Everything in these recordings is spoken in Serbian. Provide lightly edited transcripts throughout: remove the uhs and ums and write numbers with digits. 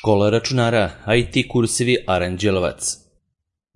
Škola računara, IT kursevi Aranđelovac.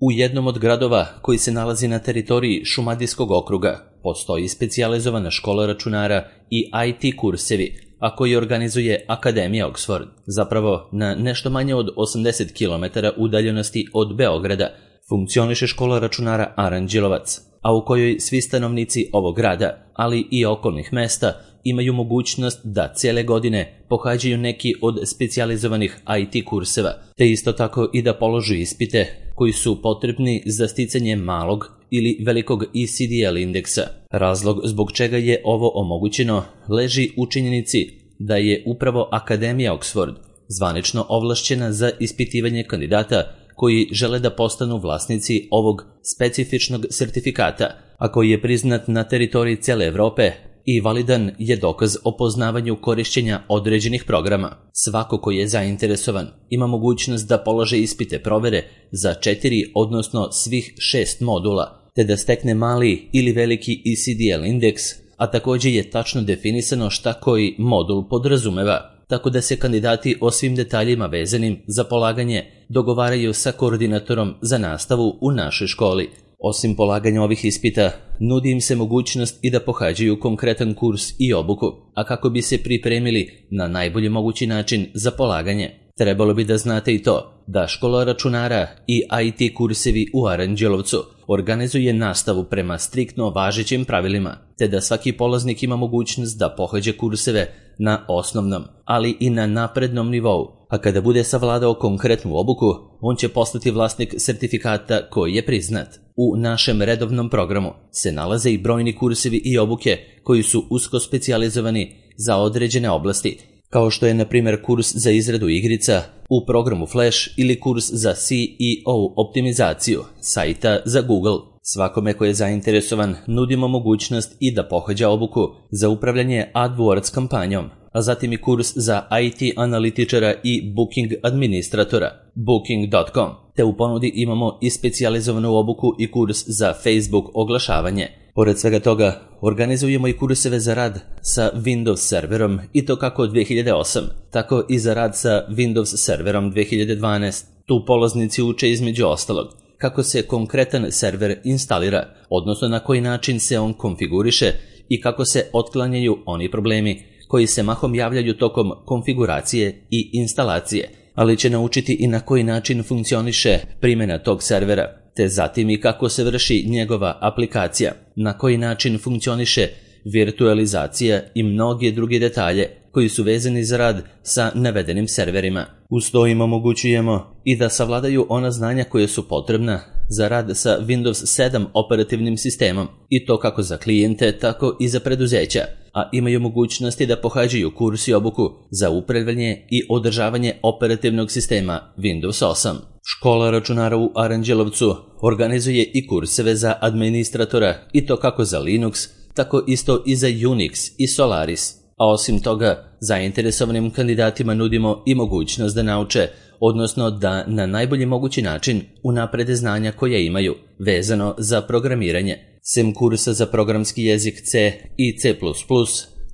U jednom od gradova koji se nalazi na teritoriji Šumadijskog okruga postoji specijalizovana škola računara i IT kursevi, a koji organizuje Akademija Oxford. Zapravo, na nešto manje od 80 km udaljenosti od Beograda funkcioniše škola računara Aranđelovac, a u kojoj svi stanovnici ovog grada, ali i okolnih mesta, imaju mogućnost da cijele godine pohađaju neki od specijalizovanih IT kurseva, te isto tako i da položu ispite koji su potrebni za sticanje malog ili velikog ECDL indeksa. Razlog zbog čega je ovo omogućeno leži u činjenici da je upravo Akademija Oxford zvanično ovlašćena za ispitivanje kandidata koji žele da postanu vlasnici ovog specifičnog sertifikata, a koji je priznat na teritoriji cijele Evrope i validan je dokaz o poznavanju korišćenja određenih programa. Svako ko je zainteresovan ima mogućnost da polože ispite provere za 4, odnosno svih 6 modula, te da stekne mali ili veliki ECDL indeks, a također je tačno definisano šta koji modul podrazumeva, tako da se kandidati o svim detaljima vezanim za polaganje dogovaraju sa koordinatorom za nastavu u našoj školi. Osim polaganja ovih ispita, nudi im se mogućnost i da pohađaju konkretan kurs i obuku, a kako bi se pripremili na najbolji mogući način za polaganje. Trebalo bi da znate i to da škola računara i IT kursevi u Aranđelovcu organizuje nastavu prema striktno važećim pravilima, te da svaki polaznik ima mogućnost da pohađa kurseve na osnovnom, ali i na naprednom nivou, a kada bude savladao konkretnu obuku, on će postati vlasnik sertifikata koji je priznat. U našem redovnom programu se nalaze i brojni kursevi i obuke koji su usko specijalizovani za određene oblasti, kao što je na primjer kurs za izradu igrica u programu Flash ili kurs za SEO optimizaciju sajta za Google. Svakome ko je zainteresovan nudimo mogućnost i da pohađa obuku za upravljanje AdWords kampanjom, a zatim i kurs za IT analitičara i Booking administratora, Booking.com, te u ponudi imamo i specijalizovanu obuku i kurs za Facebook oglašavanje. Pored svega toga, organizujemo i kurseve za rad sa Windows serverom i to kako 2008, tako i za rad sa Windows serverom 2012. Tu polaznici uče između ostalog kako se konkretan server instalira, odnosno na koji način se on konfiguriše i kako se otklanjaju oni problemi koji se mahom javljaju tokom konfiguracije i instalacije, ali će naučiti i na koji način funkcioniše primjena tog servera, te zatim i kako se vrši njegova aplikacija, na koji način funkcioniše virtualizacija i mnoge druge detalje koji su vezani za rad sa navedenim serverima. Uz to im omogućujemo i da savladaju ona znanja koje su potrebna za rad sa Windows 7 operativnim sistemom, i to kako za klijente, tako i za preduzeća, a imaju mogućnosti da pohađaju kurs i obuku za upravljanje i održavanje operativnog sistema Windows 8. Škola računara u Aranđelovcu organizuje i kurseve za administratora, i to kako za Linux, tako isto i za Unix i Solaris. A osim toga, zainteresovanim kandidatima nudimo i mogućnost da nauče, odnosno da na najbolji mogući način unaprede znanja koja imaju vezano za programiranje. Sem kursa za programski jezik C i C++,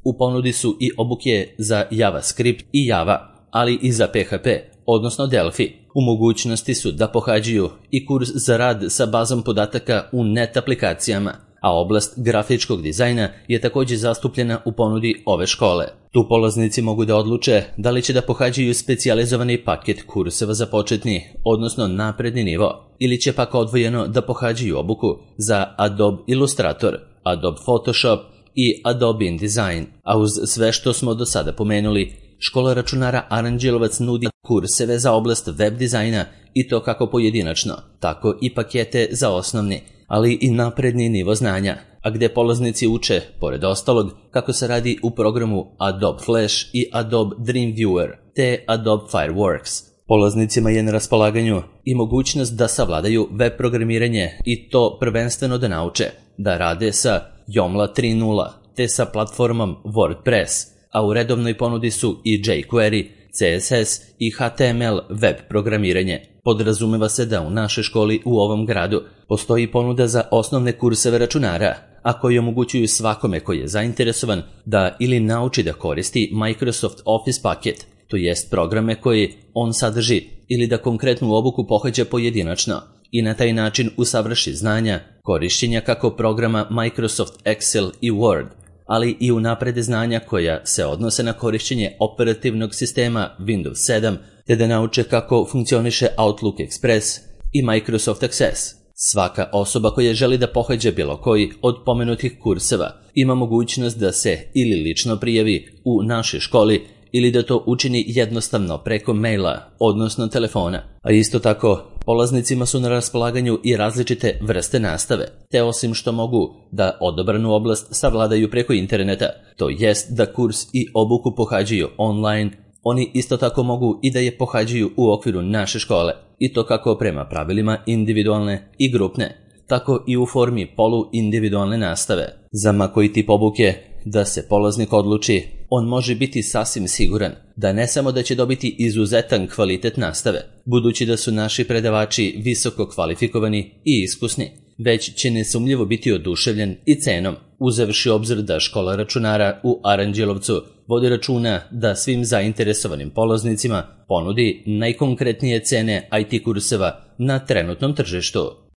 u ponudi su i obuke za JavaScript i Java, ali i za PHP, odnosno Delphi. U mogućnosti su da pohađaju i kurs za rad sa bazom podataka u net aplikacijama, a oblast grafičkog dizajna je također zastupljena u ponudi ove škole. Tu polaznici mogu da odluče da li će da pohađaju specijalizovani paket kurseva za početni, odnosno napredni nivo, ili će pak odvojeno da pohađaju obuku za Adobe Illustrator, Adobe Photoshop i Adobe InDesign. A uz sve što smo do sada pomenuli, škola računara Aranđelovac nudi kurseve za oblast web dizajna, i to kako pojedinačno, tako i pakete za osnovni, ali i napredni nivo znanja, a gde polaznici uče, pored ostalog, kako se radi u programu Adobe Flash i Adobe Dreamweaver, te Adobe Fireworks. Polaznicima je na raspolaganju i mogućnost da savladaju web programiranje, i to prvenstveno da nauče da rade sa Joomla 3.0, te sa platformom WordPress, a u redovnoj ponudi su i jQuery, CSS i HTML web programiranje. Podrazumeva se da u našoj školi u ovom gradu postoji ponuda za osnovne kurseve računara, a koji omogućuju svakome koji je zainteresovan da ili nauči da koristi Microsoft Office paket, to jest programe koji on sadrži, ili da konkretnu obuku pohađa pojedinačno i na taj način usavrši znanja korišćenja kako programa Microsoft Excel i Word, ali i unaprede znanja koja se odnose na korišćenje operativnog sistema Windows 7, te da nauče kako funkcioniše Outlook Express i Microsoft Access. Svaka osoba koja želi da pohađa bilo koji od pomenutih kurseva ima mogućnost da se ili lično prijavi u našoj školi ili da to učini jednostavno preko maila, odnosno telefona. A isto tako, polaznicima su na raspolaganju i različite vrste nastave, te osim što mogu da odabranu oblast savladaju preko interneta, to jest da kurs i obuku pohađaju online, oni isto tako mogu i da je pohađaju u okviru naše škole, i to kako prema pravilima individualne i grupne, tako i u formi polu-individualne nastave. Za ma koji tip obuke da se polaznik odluči, on može biti sasvim siguran da ne samo da će dobiti izuzetan kvalitet nastave, budući da su naši predavači visoko kvalifikovani i iskusni, već će nesumnjivo biti oduševljen i cenom, uzevši obzir da škola računara u Aranđelovcu vodi računa da svim zainteresovanim polaznicima ponudi najkonkretnije cene IT kurseva na trenutnom tržištu.